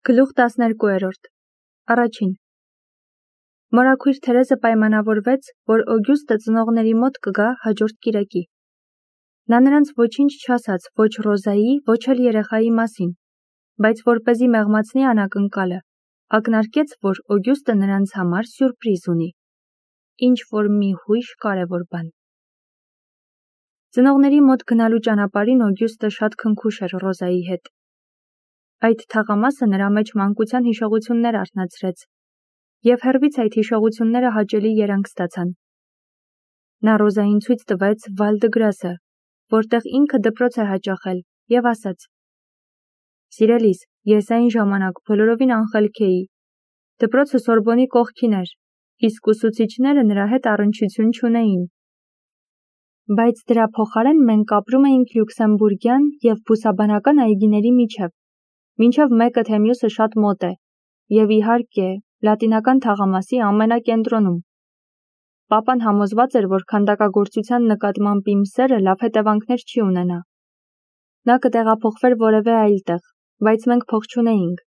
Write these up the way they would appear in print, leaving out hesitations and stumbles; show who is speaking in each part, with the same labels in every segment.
Speaker 1: Գլուխ 12-րդ Առաջին Մորաքույր Թերեզը պայմանավորվեց, որ Օգյուստը ծնողների մոտ կգա հաջորդ կիրակի։ Նա նրանց ոչինչ չասաց ոչ Ռոզայի, ոչ էլ երեխայի մասին, բայց որպեսզի մեղմացնի անակնկալը, ակնարկեց, որ Օգյուստը նրանց համար սյուրպրիզ ունի, ինչ-որ մի հույժ կարևոր բան։ Ծնողների մոտ գնալու ճանապարհին Օգյուստը շատ քնքուշ էր Ռոզայի հետ։ Այդ թաղամասը նրա մեջ մանկության հիշողություններ արթնացրեց, և հեռվից այդ հիշողությունները հաճելի երանգ ստացան։ Նա Ռոզային ցույց տվեց Վալ-դը-Գրասը, որտեղ ինքը դպրոց է հաճախել, և ասաց. «Սիրելիս, ես այն ժամանակ բոլորովին անխելք էի։ Դպրոցը Սորբոնի կողքին էր, իսկ ուսուցիչները նրա հետ առնչություն չունեին։ Բայց դրա փոխարեն մենք ապրում էինք լյուքսեմբուրգյան և բուսաբանական այգիների միջև, մինչև մեկը թե մյուսը շատ մոտ է, և իհարկե, լատինական թաղամասի ամենակենտրոնում։ Պապան համոզված էր, որ քանդակագործության նկատմամբ իմ սերը լավ հետևանքներ չի ունենա։ Նա կտեղափոխվեր որևէ այլ տեղ, բայց մենք փող չունեինք,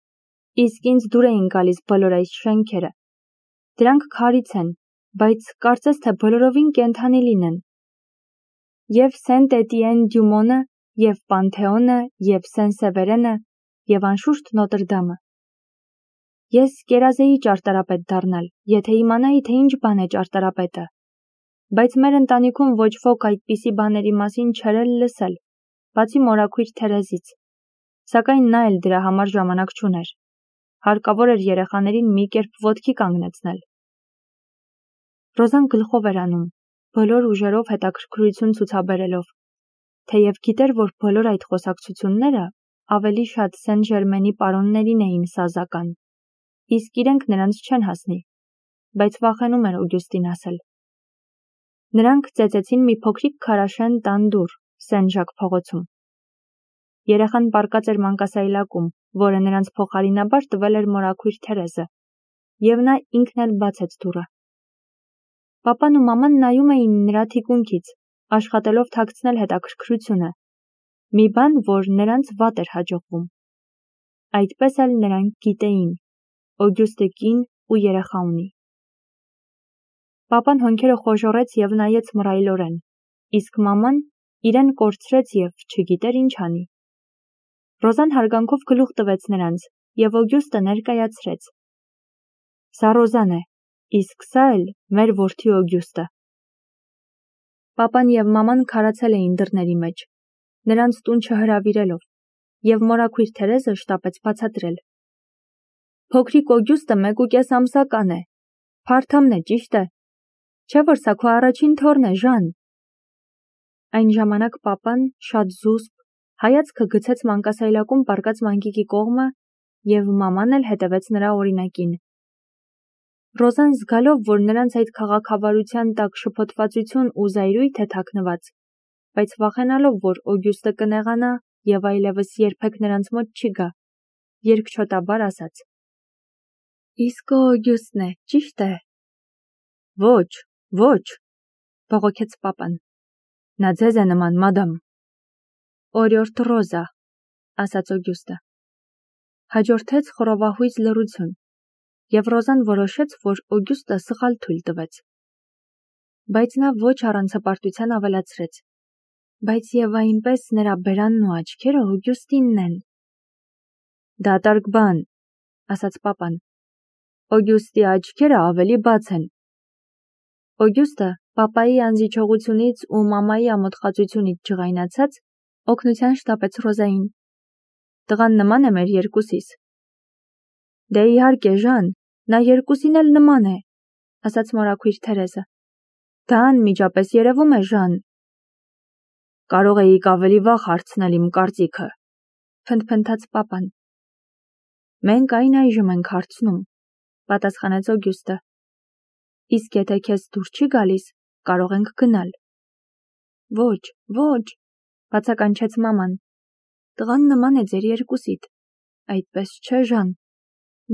Speaker 1: իսկ ինձ դուր էին գալիս բոլոր այս շենքերը։ Դրանք քարից են, բայց կարծես թե բոլորովին կենդանի լինեն։ Եվ Սենտ-Էտիեն-դյու-Մոնը, և Պանթեոնը, և Սեն-Սևերենը, և անշուշտ Նոտրդամը։ Ես կերազեի ճարտարապետ դառնալ, եթե իմանայի, թե ինչ բան է ճարտարապետը, բայց մեր ընտանիքում ոչ ոք այդպիսի բաների մասին չէր էլ լսել, բացի մորաքույր Թերեզից, սակայն նա էլ դրա համար ժամանակ չուներ։ Հարկավոր էր երեխաներին մի կերպ ոտքի կանգնեցնել։ Ռոզան գլխով էր անում, բոլոր ուժերով հետաքրքրություն ցուցաբերելով, թեև գիտեր, որ բոլոր այդ խոսակցությունները ավելի շատ Սեն-Ժերմենի պարոններին էին սազական, իսկ իրենք նրանց չեն հասնի, բայց վախենում էր Օգյուստին ասել։ Նրանք ծեծեցին մի փոքրիկ քարաշեն տան դուռ Սեն-Ժակ փողոցում։ Երեխան պառկած էր մանկասայլակում, որը նրանց փոխարինաբար տվել էր մորաքույր Թերեզը, և նա ինքն էլ բացեց դուռը։ Պապան ու մաման նայում էին նրա թիկունքից, աշխատելով թաքցնել հետաքրքրությունը, մի բան, որ նրանց վատ էր հաջողվում։ Այդպես էլ նրանք գիտեին. Օգյուստը կին ու երեխա ունի։ Պապան հոնքերը խոժոռեց և նայեց մռայլորեն, իսկ մաման իրեն կորցրեց և չգիտեր ինչ անի։ Ռոզան հարգանքով գլուխ տվեց նրանց, և Օգյուստը ներկայացրեց. «Սա Ռոզան է, իսկ սա էլ մեր որդի Օգյուստը»։ Պապան և մաման քարացել էին դռների մեջ, նրանց տուն չհրավիրելով, և մորաքույր Թերեզը շտապեց բացատրել. «Փոքրիկ Օգյուստը 1.5 ամսական է, փարթամն է, ճիշտ է, չէ՞ որ սա քո առաջին թոռն է, Ժան»։ Այն ժամանակ պապան, շատ զուսպ, հայացքը գցեց մանկասայլակում պառկած մանկիկի կողմը, և մաման էլ հետևեց նրա օրինակին։ Ռոզան զգալով, որ նրանց այդ քաղաքավարության տակ շփոթվածություն ու զայրույթ է թաքնված, բայց վախենալով, որ Օգյուստը կնեղանա և այլևս երբեք նրանց մոտ չի գա, երկչոտաբար ասաց. «Իսկ Օգյուստն է, ճիշտ է»։ «Ոչ, ոչ», բողոքեց պապան։ «Նա ձեզ է նման, մադամ»։ «Օրիորդ Ռոզա», ասաց Օգյուստը։ Հաջորդեց խռովահույզ լռություն, և Ռոզան որոշեց, որ Օգյուստը սխալ թույլ տվեց։ Բայց նա ոչ առանց հպարտության ավելացրեց. «Բայց և այնպես նրա բերանն ու աչքերը Օգյուստինն են»։ «Դատարկ բան», ասաց պապան։ «Օգյուստի աչքերը ավելի բաց են»։ Օգյուստը, պապայի անզիջողությունից ու մամայի ամոթխածությունից ջղայնացած, օգնության շտապեց Ռոզային։ «Տղան նման է մեր երկուսիս»։ «Դե իհարկե, Ժան, նա երկուսին էլ նման է», ասաց մորաքույր Թերեզը։ «Դա անմիջապես երևում է, Ժան»։ «Կարող էիք ավելի վաղ հարցնել իմ կարծիքը», փնթփնթաց պապան։ «Մենք այն այժմ ենք հարցնում», պատասխանեց Օգյուստը։ «Իսկ եթե քեզ դուր չի գալիս, կարող ենք գնալ»։ «Ոչ, ոչ», բացականչեց մաման։ «Տղան նման է ձեր երկուսիդ, այդպես չէ, Ժան։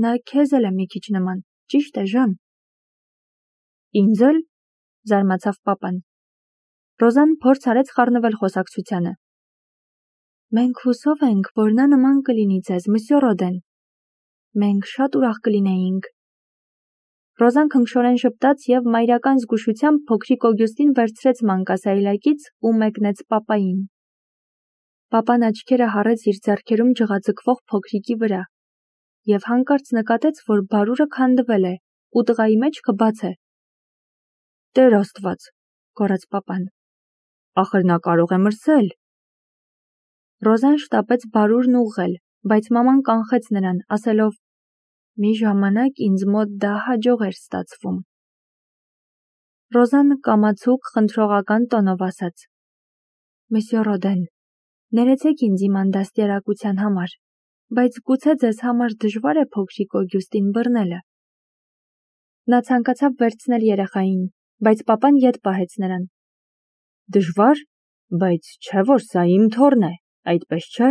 Speaker 1: Նա քեզ էլ է մի քիչ նման, ճիշտ է, Ժան»։ «Ինձ էլ», զարմացավ պապան։ Ռոզան փորձ արեց խառնվել խոսակցությանը։ «Մենք հուսով ենք, որ նա նման կլինի ձեզ, մսյո Ռոդեն»։ Մենք շատ ուրախ կլինեինք։ Ռոզան քնքշորեն ժպտաց և մայրական զգուշությամբ փոքրիկ Օգյուստին վերցրեց մանկասայլակից ու մեկնեց պապային։ Պապան աչքերը հառեց իր ձեռքերում ջղաձգվող փոքրիկի վրա և հանկարծ նկատեց, որ բարուրը քանդվել է ու տղայի մեջքը բաց է։ Տեր Աստված, գոռաց պապան։ Ախր նա կարող է մրսել։ Ռոզան շտապեց բարուրն ուղղել, բայց մաման կանխեց նրան, ասելով. Մի ժամանակ ինձ մոտ դա հաջող էր ստացվում։ Ռոզան կամացուկ խնդրողական տոնով ասաց. Մսյո Ռոդեն, ներեցեք ինձ իմ անդաստիարակության համար, բայց գուցե ձեզ համար դժվար է փոքրիկ Օգյուստին բռնելը։ Նա ցանկացավ վերցնել երեխային, բայց պապան ետ պահեց նրան։ Դժվար, բայց չէ որ սա իմ թոռն է, այդպես չէ։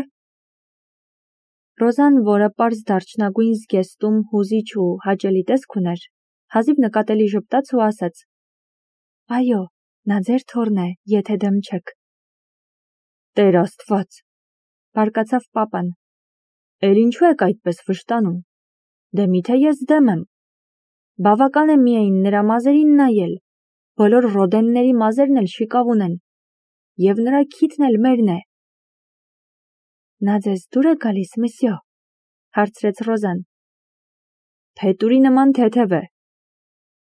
Speaker 1: Ռոզան, որը պարզ դարչնագույն զգեստում հուզիչ ու հաճելի տեսք ուներ, հազիվ նկատելի ժպտաց ու ասաց. Այո, նա ձեր թոռն է, եթե դեմ չեք։ Տեր Աստված, բարկացավ պապան։ Էլ ինչու եք այդպես վշտանում։ Դե միթե ես դեմ եմ։ Բավական է միայն նրա մազերին նայել, բոլոր Ռոդենների մազերն էլ շիկավ ունեն, և նրա քիթն էլ մերն է։ Նա ձեզ դուր է գալիս, մսյո, հարցրեց Ռոզան։ Փետուրի նման թեթև է։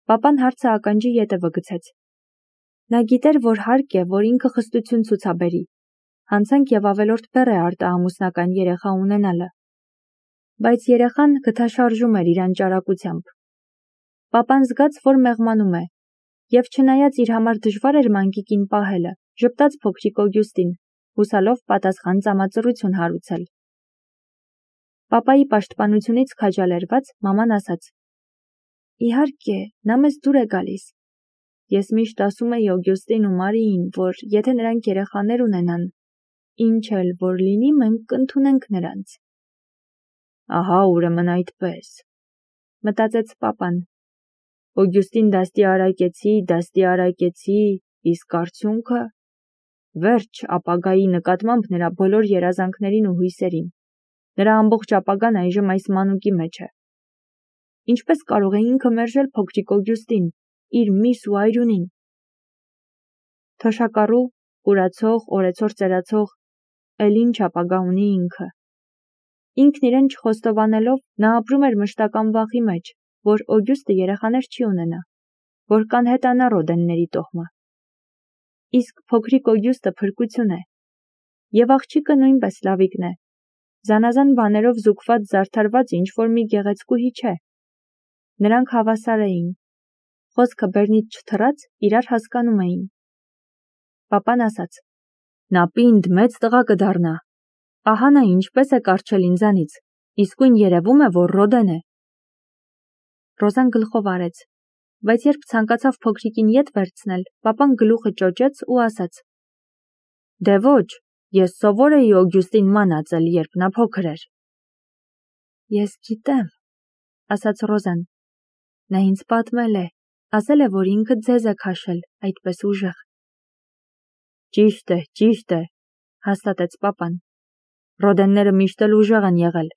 Speaker 1: Պապան հարցը ականջի ետևը գցեց։ Նա գիտեր, որ հարկ է, որ ինքը խստություն ցուցաբերի, հանցանք և ավելորդ բեռ է արտահամուսնական երեխա ունենալը։ Բայց երեխան գթաշարժում էր իր անճարակությամբ։ Պապան զգաց, որ մեղմանում է, և չնայած իր համար դժվար էր մանկիկին պահելը, ժպտաց փոքրիկ Օգյուստին, հուսալով պատասխան ծամածռություն հարուցել։ Պապայի պաշտպանությունից քաջալերված մաման ասաց. Իհարկե, նա մեզ դուր է գալիս։ Ես միշտ ասում էի Օգյուստին ու Մարիին, որ եթե նրանք երեխաներ ունենան, ինչ էլ որ լինի, մենք կընդունենք նրանց։ Ահա ուրեմն այդպես, մտածեց պապան։ Օգյուստին դաստի արակեցի, իսկ արդյունքը վերջ ապագայի նկատմամբ նրա բոլոր երազանքներին ու հույսերին։ Նրա ամբողջ ապագան այժմ այս մանուկի մեջ է։ Ինչպես կարող է ինքը մերժել փոքրիկ Օգյուստին, իր միս ու այրունին։ Թոշակառու, կուրացող, օրեցօր ծերացող, էլ ինչ ապագա ունի ինքը։ Ինքն իրեն չխոստովանելով, նա ապրում էր մշտական վախի մեջ, որ Օգյուստը երեխաներ չի ունենա, որ կանհետանա Ռոդենների տոհմը։ Իսկ փոքրիկ Օգյուստը փրկություն է, և աղջիկը նույնպես լավիկն է, զանազան բաներով զուգված զարդարված ինչ-որ մի գեղեցկուհի չէ։ Նրանք հավասար էին, խոսքը բեռնից չթռած իրար հասկանում էին։ Պապան ասաց. Նա պինդ մեծ տղա կդառնա։ Ահա նա ինչպես է կառչել ինձանից, իսկույն երևում է, որ Ռոդեն է։ Ռոզան գլխով արեց, բայց երբ ցանկացավ փոքրիկին ետ վերցնել, պապան գլուխը ճոճեց ու ասաց. Դե ոչ, ես սովոր էի Օգյուստին մանածել, երբ նա փոքր էր։ Ես գիտեմ, ասաց Ռոզան։ Նա ինձ պատմել է, ասել է, որ ինքը ձեզ է քաշել, այդպես ուժեղ։ Ճիշտ է, հաստատեց պապան։ Ռոդենները միշտ էլ ուժեղ են եղել։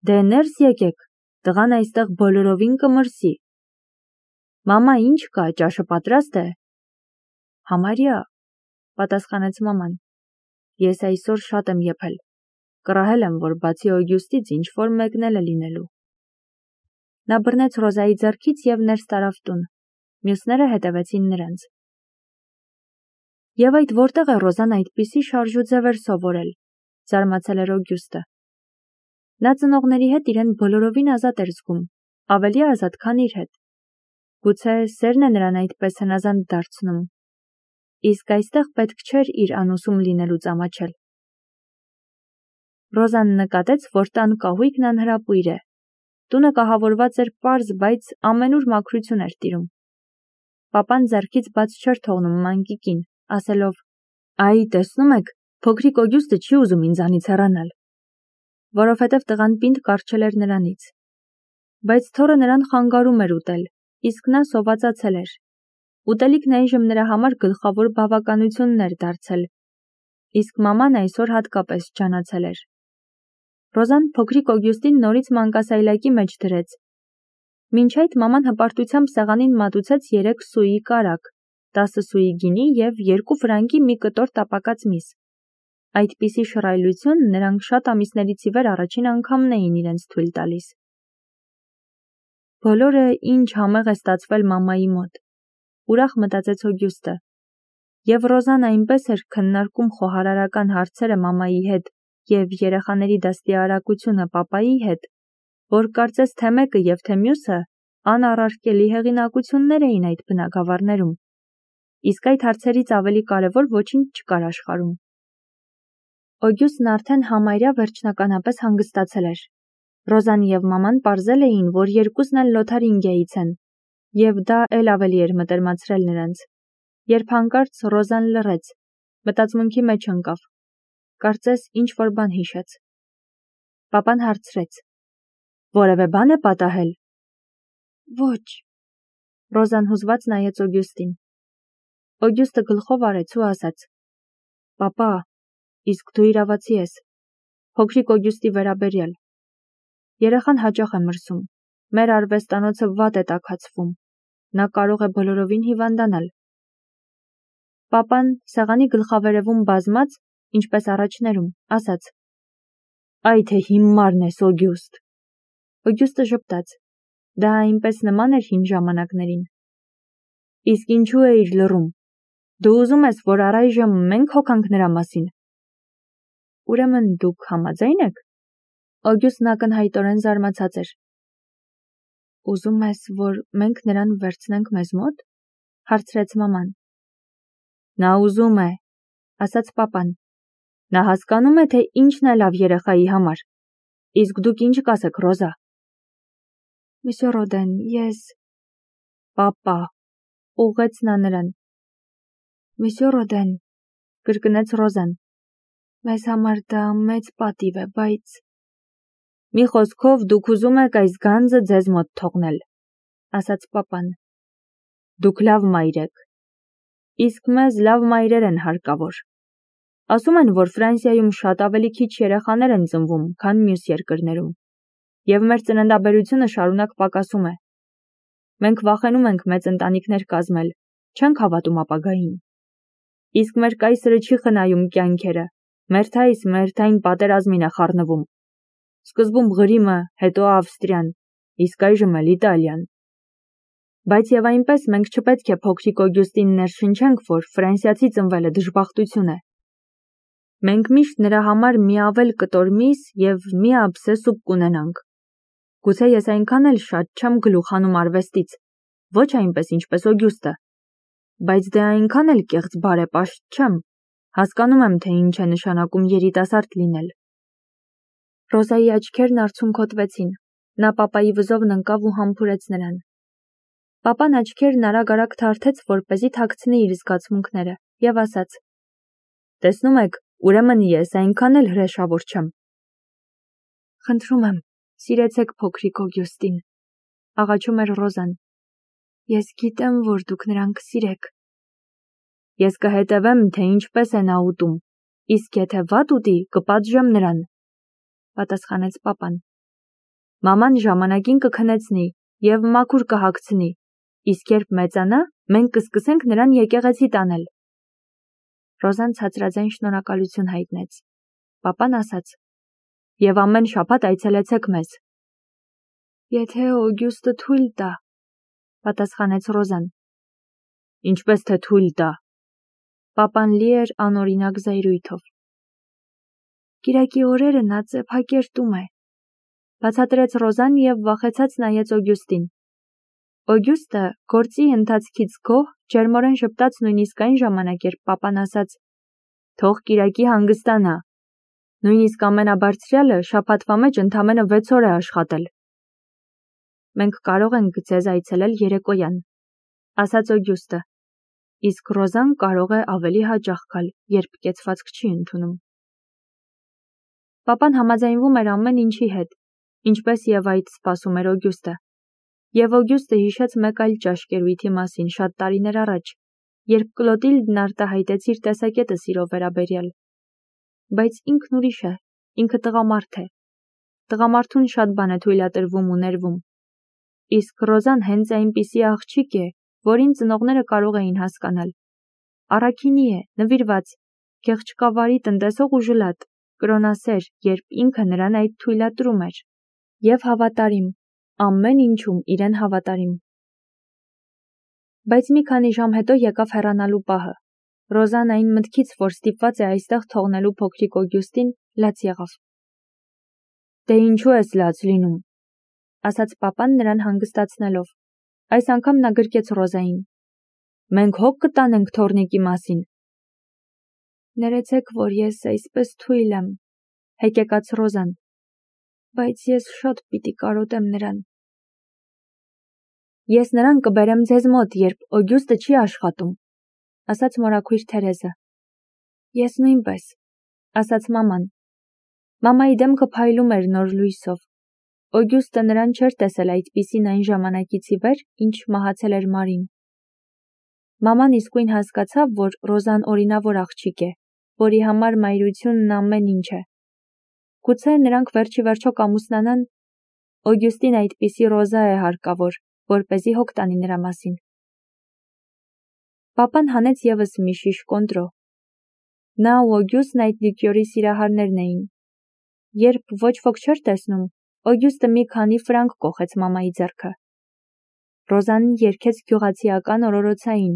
Speaker 1: Դե ներս եկեք, տղան այստեղ բոլորովին կմրսի։ Մամա, ինչ կա, ճաշը պատրաստ է։ Համարյա, պատասխանեց մաման։ Ես այսօր շատ եմ եփել։ Կռահել եմ, որ բացի Օգյուստից ինչ-որ մեկն էլ է լինելու։ Նա բռնեց Ռոզայի ձեռքից և ներս տարավ տուն։ Մյուսները հետևեցին նրանց։ Եվ այդ որտեղ է Ռոզան այդպիսի շարժուձև էր սովորել, զարմացել էր Օգյուստը։ Նա ծնողների հետ իրեն բոլորովին ազատ էր զգում, ավելի ազատ, քան իր հետ։ Գուցե սերն է նրան այդպես հնազանդ դարձնում։ Իսկ այստեղ պետք չէր իր անուսում լինելուց ամաչել։ Ռոզան նկատեց, որ տան կահույքն անհրապույր է։ Տունը կահավորված էր պարզ, բայց ամենուր մաքրություն էր տիրում։ Պապան ձեռքից բաց չէր թողնում մանկիկին, ասելով. Այ, տեսնում եք, փոքրիկ Օգյուստը չի ուզում ինձանից հեռանալ, որովհետև տղան պինդ կառչել էր նրանից։ Բայց թոռը նրան խանգարում էր ուտել, իսկ նա սովածացել էր։ Ուտելիքն այժմ նրա համար գլխավոր բավականությունն էր դարձել, իսկ մաման այսօր հատկապես ջանացել էր։ Ռոզան փոքրիկ Օգյուստին նորից մանկասայլակի մեջ դրեց։ Մինչ այդ մաման հպարտությամբ սեղանին մատուցեց 3 սուի կարագ, 10 սուի գինի և 2 ֆրանկի մի կտոր տապակած միս։ Այդպիսի շռայլություն նրանք շատ ամիսներից ի վեր առաջին անգամն էին իրենց թույլ տալիս։ Բոլորը ինչ համեղ է ստացվել մամայի մոտ, ուրախ մտածեց Օգյուստը։ Եվ Ռոզան այնպես էր քննարկում խոհարարական հարցերը մամայի հետ և երեխաների դաստիարակությունը պապայի հետ, որ կարծես թե մեկը և թե մյուսը անառարկելի հեղինակություններ էին այդ բնագավառներում, իսկ այդ հարցերից ավելի կարևոր ոչինչ չկար աշխարհում։ Օգյուստն արդեն համարյա վերջնականապես հանգստացել էր։ Ռոզան և մաման պարզել էին, որ երկուսն էլ Լոթարինգիայից են, և դա էլ ավելի էր մտերմացրել նրանց։ Երբ հանկարծ Ռոզան լռեց, մտածմունքի մեջ ընկավ, կարծես ինչ-որ բան հիշեց։ Պապան հարցրեց. «Որևէ բան է պատահել»։ «Ոչ»։ Ռոզան հուզված նայեց Օգյուստին։ Օգյուստը գլխով արեց ու ասաց. «Պապա, իսկ դու իրավացի ես, փոքրիկ Օգյուստի վերաբերյալ։ Երեխան հաճախ է մրսում, մեր արվեստանոցը վատ է տաքացվում, նա կարող է բոլորովին հիվանդանալ»։ Պապան սեղանի գլխավերևում բազմած, ինչպես առաջներում, ասաց. «Այ թե հիմարն ես, Օգյուստ»։ Օգյուստը ժպտաց. դա այնպես նման էր հին ժամանակներին։ «Իսկ ինչու էիր լռում։ Դու ուզում ես, որ առայժմ մենք հոգանք նրա մասին»։ «Ուրեմն դուք համաձայն եք»։ Օգյուստն ակնհայտորեն զարմացած էր։ «Ուզում ես, որ մենք նրան վերցնենք մեզ մոտ»։ Հարցրեց մաման։ «Նա ուզում է», ասաց պապան։ «Նա հասկանում է, թե ինչն է լավ երեխայի համար։ Իսկ դուք ինչ կասեք, Ռոզա»։ «Մսյո Ռոդեն, ես»։ «Պապա», ուղղեց նա նրան։ «Մսյո Ռոդեն», կրկնեց Ռոզան։ «Մեզ համար դա մեծ պատիվ է, բայց»։ «Մի խոսքով, դուք ուզում եք այս գանձը ձեզ մոտ թողնել», ասաց պապան։ «Դուք լավ մայր եք։ Իսկ մեզ լավ մայրեր են հարկավոր։ Ասում են, որ Ֆրանսիայում շատ ավելի քիչ երեխաներ են ծնվում, քան մյուս երկրներում, և մեր ծննդաբերությունը շարունակ պակասում է։ Մենք վախենում ենք մեծ ընտանիքներ կազմել, չենք հավատում ապագային։ Իսկ մեր կայսրը չի խնայում կյանքերը, մերթային պատերազմին է խառնվում։ Սկզբում Ղրիմը, հետո Ավստրիան, իսկ այժմ էլ Իտալիան։ Բայց և այնպես մենք չպետք է փոքրիկ Օգյուստին ներշնչենք, որ ֆրանսիացի ծնվելը դժբախտություն է։ Մենք միշտ նրա համար մի ավել կտոր միս և մի ափսե սուպ կունենանք։ Գուցե ես այնքան էլ շատ չեմ գլուխ հանում արվեստից, ոչ այնպես ինչպես Օգյուստը, բայց դե այնքան էլ կեղծ բարեպաշտ չեմ, հասկանում եմ, թե ինչ է նշանակում երիտասարդ լինել։ Ռոզայի աչքերն արցունքոտվեցին, նա պապայի վզովն ընկավ ու համբուրեց նրան։ Պապան աչքերն արագ-արագ թարթեց, որպեսզի թաքցնի իր զգացմունքները, և ասաց. «Տեսնում եք, ուրեմն ես այնքան էլ հրեշավոր չեմ»։ «Խնդրում եմ, սիրեցեք փոքրիկ Օգյուստին», աղաչում էր Ռոզան։ «Ես գիտեմ, որ դուք նրան կսիրեք»։ «Ես կհետևեմ, թե ինչպես է նա ուտում, իսկ եթե վատ ուտի, կպատժեմ նրան», պատասխանեց պապան։ «Մաման ժամանակին կքնեցնի և մաքուր կհագցնի, իսկ երբ մեծանա, մենք կսկսենք նրան եկեղեցի տանել»։ Ռոզան ցածրաձայն շնորհակալություն հայտնեց։ Պապան ասաց. «Եվ ամեն շաբաթ այցելեցեք մեզ»։ «Եթե Օգյուստը թույլ տա», պատասխանեց Ռոզան։ «Ինչպես թե թույլ տա»։ Պապան լի էր անօրինակ զայրույթով։ «Կիրակի օրերը նա ծեփակերտում է», բացատրեց Ռոզան և վախեցած նայեց Օգյուստին։ Օգյուստը գործի ընթացքից գոհ, ջերմորեն ժպտաց նույնիսկ այն ժամանակ, երբ պապան ասաց. «Թող Կիրակի հանգստանա։ Նույնիսկ ամենաբարձրյալը շաբաթվա մեջ ընդամենը 6 օր է աշխատել»։ «Մենք կարող ենք ձեզ այցելել երեկոյան», ասաց Օգյուստը, իսկ Ռոզան կարող է ավելի հաճախ գալ, երբ կեցվածք չի ընդունում։ Պապան համաձայնվում էր ամեն ինչի հետ, ինչպես և այդ սպասում էր Օգյուստը։ Եվ Օգյուստը հիշեց մեկ այլ ճաշկերույթի մասին շատ տարիներ առաջ, երբ Կլոտիլդն արտահայտեց իր տեսակետը սիրո վերաբերյալ։ Բայց ինքն ուրիշ է, ինքը տղամարդ է, տղամարդուն շատ բան է թույլատրվում ու ներվում։ Իսկ Ռոզան հենց այնպիսի աղջիկ է, որին ծնողները կարող էին հասկանալ։ Առաքինի է, նվիրված, գեղչկավարի տնտեսող ու ժլատ, կրոնասեր, երբ ինքը նրան այդ թույլատրում էր։ Եվ հավատարիմ, ամեն ինչում իրեն հավատարիմ։ Բայց մի քանի ժամ հետո եկավ հեռանալու պահը։ Ռոզան այն մտքից, որ ստիպված է այստեղ թողնելու փոքրիկ Օգյուստին, լաց եղավ։ Դե ինչու ես լաց լինում, ասաց պապան նրան հանգստացնելով։ Այս անգամ նա գրկեց Ռոզային։ Մենք հոգ կտանենք թոռնիկի մասին։ Ներեցեք, որ ես այսպես թույլ եմ, հեկեկաց Ռոզան, բայց ես շատ պիտի կարոտեմ նրան։ Ես նրան կբերեմ ձեզ մոտ, երբ Օգյուստը չի աշխատում, ասաց մորաքույր Թերեզը։ Ես նույնպես, ասաց մաման։ Մամայի դեմքը փայլում էր նոր լույսով։ Օգյուստը նրան չէր տեսել այդպիսին այն ժամանակից ի վեր, ինչ մահացել էր Մարին։ Մաման իսկույն հասկացավ, որ Ռոզան օրինավոր աղջիկ է, որի համար մայրությունն ամեն ինչ է։ Գուցե նրանք վերջի վերջո կամուսնանան, Օգյուստին այդպիսի Ռոզա է հարկավոր, որպեսզի հոգ տանի նրա մասին։ Պապան հանեց ևս մի շիշ կոնտրո։ Նա ու Օգյուստն այդ լիկյորի սիրահարներն էին։ Երբ ոչ ոք չէր տեսնում, Օգյուստը մի քանի ֆրանկ կոխեց մամայի ձեռքը։ Ռոզան երգեց գյուղացիական օրորոցային,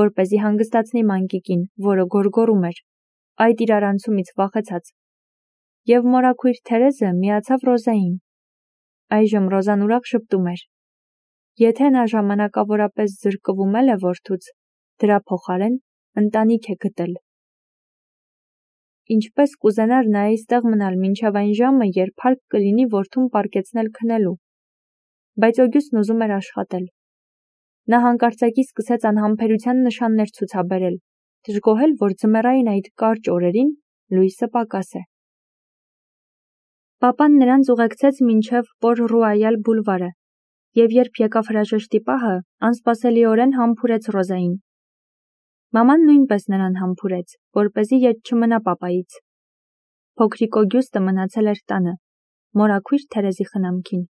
Speaker 1: որպեսզի հանգստացնի մանկիկին, որը գոռգոռում էր, այդ իրարանցումից վախեցած։ Եվ մորաքույր Թերեզը միացավ Ռոզային։ Այժմ Ռոզան ուրախ շփտում էր։ Եթե նա ժամանակավորապես զրկվում է որդուց, դրա փոխարեն ընտանիք է գտել։ Ինչպես կուզենար նա այստեղ մնալ մինչև այն ժամը, երբ հարկ կլինի որդուն պառկեցնել քնելու։ Բայց Օգյուստն ուզում էր աշխատել։ Նա հանկարծակի սկսեց անհամբերության նշաններ ցուցաբերել, դժգոհել, որ ձմեռային այդ կարճ օրերին լույսը պակաս է։ Պապան նրանց ուղեկցեց մինչև Պոր-Ռուայալ բուլվարը, և երբ եկավ հրաժեշտի պահը, անսպասելիորեն համբուրեց Ռոզային։ Մաման նույնպես նրան համբուրեց, որպեսզի ետ չմնա պապայից։ Փոքրիկ Օգյուստը մնացել էր տանը, մորաքույր Թերեզի խնամքին։